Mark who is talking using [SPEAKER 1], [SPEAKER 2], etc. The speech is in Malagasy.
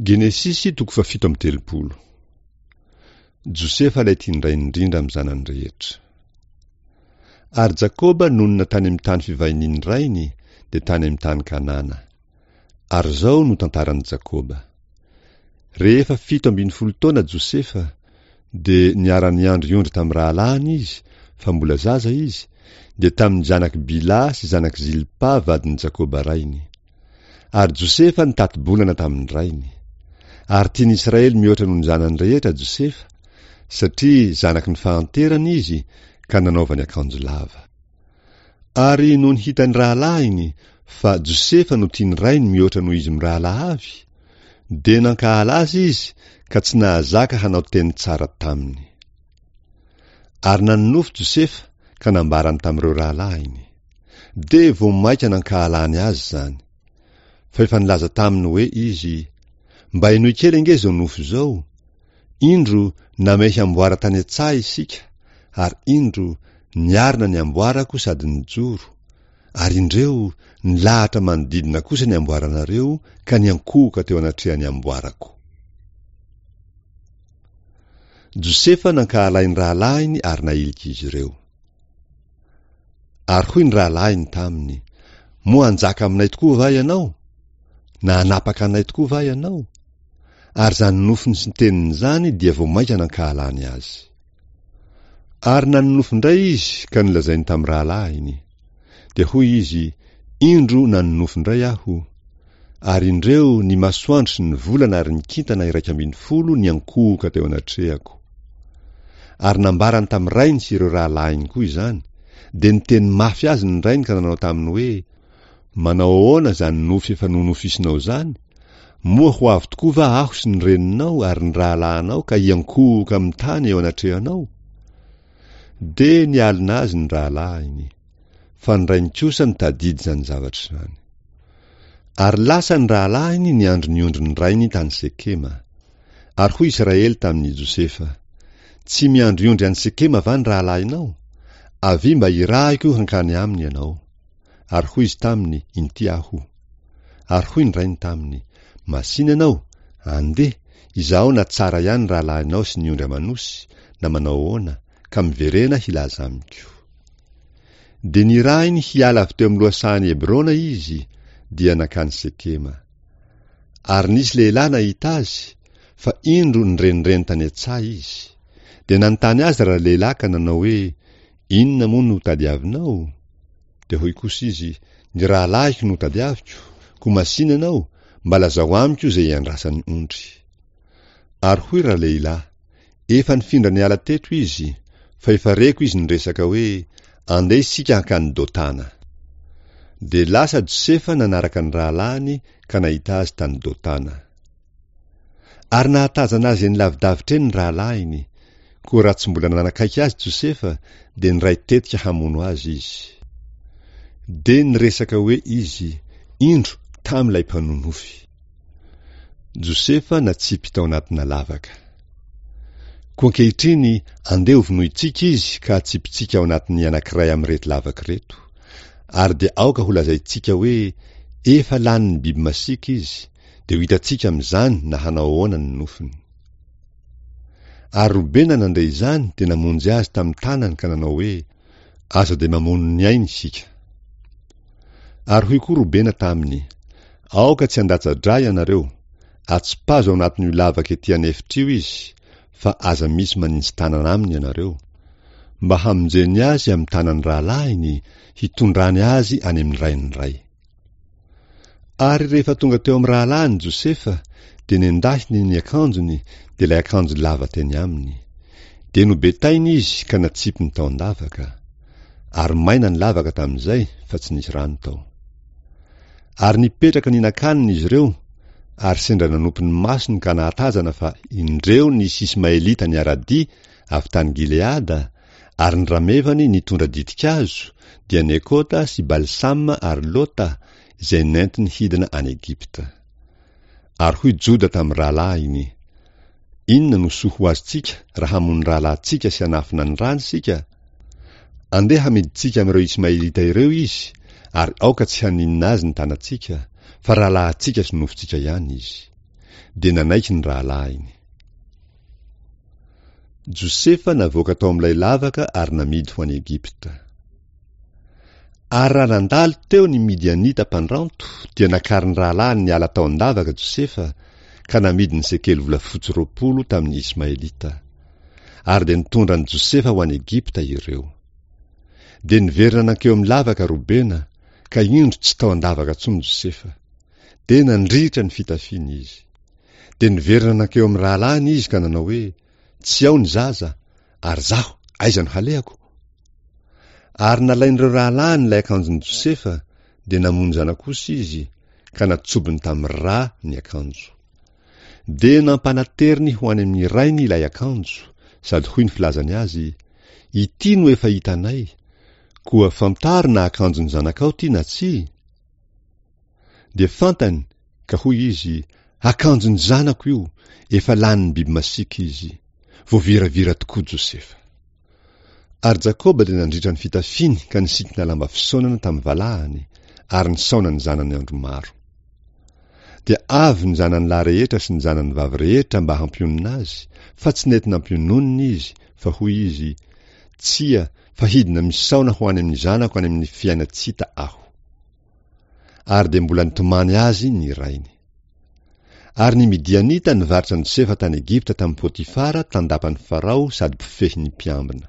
[SPEAKER 1] Genesisy toko fahafito amby telopolo. Josefa ilay tian-drainy indrindra amin'ny zanany rehetra. Ary Jakoba nonina tany amin'ny tany fivahinian'ny rainy, dia tany amin'ny tany Kanana. Ary izao no tantaran'i Jakoba. Rehefa 17 taona Josefa, dia niara-niandry ondry tamin'ny rahalahiny izy, fa mbola zaza izy, dia tamin'ny zanak'i Bila sy zanak'i Zilpa vadin'i Jakoba rainy. Ary Josefa nitati-bolana tamin'ny rainy. Ary tian'i Israely mihoatra noho ny zanany rehetra Josefa, satria zanaky ny fahanterana izy, ka nanaovany akanjo lava. Ary nony hitan'ny rahalahiny fa Josefa no tian'ny rainy mihoatra noho izy mirahalahy avy, dia nankahala azy izy ka tsy nahazaka hanao teny tsara taminy. Ary nanonofy Josefa ka nambarany tamin'ireo rahalahiny. Dia vao mainka nankahalany azy izany. Fa efa nilaza taminy hoe izy, Mba henoy kely ange izao nofy izao, Indro namehy amboara tany an-tsaha isika, ary indro, niarina ny amboarako sady nijoro, ary indreo, nilahatra manodidina kosa ny amboaranareo ka niankohoka teo anatrehan'ny amboarako. Josefa nankahalain'ny rahalahiny ary nahilika izy ireo. Ary hoy ny rahalahiny taminy, Moa hanjaka aminay tokoa va ianao? Na hanapaka anay tokoa va ianao? Ary izany nofiny sy ny teniny izany dia vao mainka nankahalany azy. Ary nanonofy indray izy ka nolazainy tamin'ny rahalahiny. Dia hoy izy, Indro nanonofy indray aho, ary indreo ny masoandro sy ny volana ary ny kintana 11 niankohoka teo anatrehako. Ary nambarany tamin'ny rainy sy ireo rahalahiny koa izany, dia niteny mafy azy ny rainy ka nanao taminy hoe, Manao ahoana izany nofy efa nonofisinao izany? Moa ho avy tokoa va aho sy ny reninao ary ny rahalahinao ka hiankohoka amin'ny tany eo anatrehanao? Dia nialona azy ny rahalahiny, fa ny rainy kosa nitadidy izany zavatra izany. Ary lasa ny rahalahiny niandry ny ondrin'ny rainy tany Sekema. Ary hoy Israely tamin'i Josefa, Tsy miandry ondry any Sekema va ny rahalahinao? Avia mba hirahiko hankany aminy ianao. Ary hoy izy taminy, Inty aho. Ary hoy ny rainy taminy, Masìna ianao, andeha, izaho na tsara ihany ny rahalahinao sy ny ondry aman'osy, na manao ahoana, ka miverena hilaza amiko. Dia nirahiny hiala avy teo amin'ny lohasahan'i Hebrona izy, dia nankany Sekema. Ary nisy lehilahy nahita azy, fa indro nirenireny tany an-tsaha izy. Dia nanontany azy ralehilahy ka nanao hoe, Inona moa no tadiavinao? Dia hoy kosa izy, Ny rahalahiko no tadiaviko, koa masìna ianao, mba lazao amiko izay iandrasan'ny ondry. Ary hoy ralehilahy, Efa nifindra niala teto izy, fa efa reko izy niresaka hoe, Andeha isika hankany Dotana. Dia lasa Josefa nanaraka ny rahalahiny ka nahita azy tany Dotana. Ary nahatazana azy eny lavidavitra eny ny rahalahiny, koa raha tsy mbola nanakaiky azy Josefa, dia niray tetika hamono azy izy. Dia niresaka hoe izy, Indro, tamy ilay mpanonofy. Josefa natsipy tao anatina lavaka. Koa ankehitriny, andeha hovonointsika izy ka hatsipintsika ao anatin'ny anankiray amin'ireto lavaka ireto. Ary dia aoka holazaintsika hoe efa lanin'ny biby masiaka izy, dia ho hitantsika amin'izany na hanao ahoana ny nofony. Ary Robena nandre izany dia namonjy azy tamin'ny tanany ka nanao hoe, Aza dia mamono ny ainy isika. Ary hoy koa Robena taminy, Aoka tsy handatsa-drà ianareo, atsipazo ao anatin'io lavaka ety an'efitra io izy, fa aza misy maninji-tanana aminy ianareo, mba hamonjeny azy amin'ny tanan'ny rahalahiny, hitondrany azy any amin'ny rain'ny ray. Ary rehefa tonga teo amin'ny rahalahiny Josefa, dia nendahiny ny akanjony, dia ilay akanjo lava teny aminy. Dia nobetainy izy ka natsipiny tao an-davaka. Ary maina ny lavaka tamin'izay, fa tsy nisy rano tao. Ary nipetraka nihinan-kanina izy ireo, ary sendra nanopy ny masony ka nahatazana fa indreo nisy Ismaelita niara-dia avy tany Gileada, Ary ny ramevany nitondra ditin-kazo, dia Nekota sy Balsama ary Lota, izay nentiny hidina any Egypta. Ary hoy Joda tamin'ny rahalahiny, Inona no soa ho azontsika raha hamono ny rahalahintsika sy hanafina ny rany isika? Andeha hamidintsika amin'ireo Ismaelita ireo izy, ary aoka tsy haninona azy ny tanantsika, fa rahalahintsika sy nofontsika ihany izy. Dia nanaiky ny rahalahiny. Josefa navoaka tao amin'ilay lavaka ary namidy ho any Egypta. Ary raha nandalo teo ny Midianita mpandranto, dia nakarin'ny rahalahiny niala tao an-davaka Josefa, ka namidiny sekely volafotsy 20 tamin'ny Ismaelita. Ary dia nitondra an'i Josefa ho any Egypta ireo. Dia niverina nankeo amin'ny lavaka Robena, ka indro tsy tao an-davaka intsony Josefa. Dia nandritra ny fitafiany izy. Dia niverina nankeo amin'ny rahalahiny izy ka nanao hoe, Tsy ao ny zaza, ary izaho, aiza no halehako? Ary nalain'ireo rahalahiny ilay akanjon'i Josefa, dia namono zanak'osy izy, ka natsobony tamin'ny rà ny akanjo. Dia nampanateriny ho any amin'ny rainy ilay akanjo, sady hoy ny filazany azy, Ity no efa hitanay, koa fantaro na akanjon'ny zanakao ity na tsia? Dia fantany, ka hoy izy, Akanjon'ny zanako io, efa lanin'ny biby masiaka izy. Voaviravira tokoa Josefa. Ary Jakoba dia nandritra ny fitafiany ka nisikina lamba fisaonana tamin'ny valahany, ary nisaona ny zanany andro maro. Dia avy ny zanany lahy rehetra sy ny zanany vavy rehetra mba hampionona azy, fa tsy nety nampiononina izy, fa hoy izy, Tsia, fa hidina misaona ho any amin'ny zanako any amin'ny fiainan-tsy hita aho. Ary dia mbola nitomany azy ny rainy. Ary ny Midianita nivarotra an'i Josefa tany Egypta tamin'i Potifara tandapan'i Farao sady mpifehy ny mpiambina.